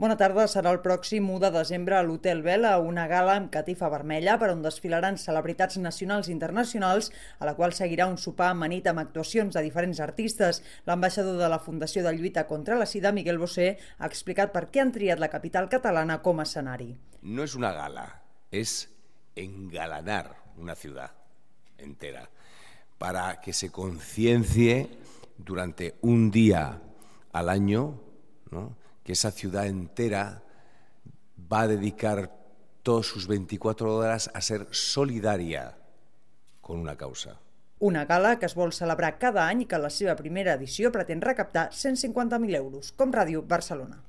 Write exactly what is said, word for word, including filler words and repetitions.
Bona tarda. Serà el pròxim u de desembre a l'Hotel Vela una gala amb catifa vermella per on desfilaran celebritats nacionals i internacionals, a la qual seguirà un sopar amanit amb actuacions de diferents artistes. L'ambaixador de la Fundació de Lluita contra la Sida, Miguel Bosé, ha explicat per què han triat la capital catalana com a escenari. No es una gala, es engalanar una ciudad entera para que se conciencie durante un día al año, ¿no?, que esa ciudad entera va a dedicar todas sus veinticuatro horas a ser solidaria con una causa. Una gala que es vol celebrar cada any i que en la seva primera edició pretén recaptar cent cinquanta mil euros. Com Ràdio Barcelona.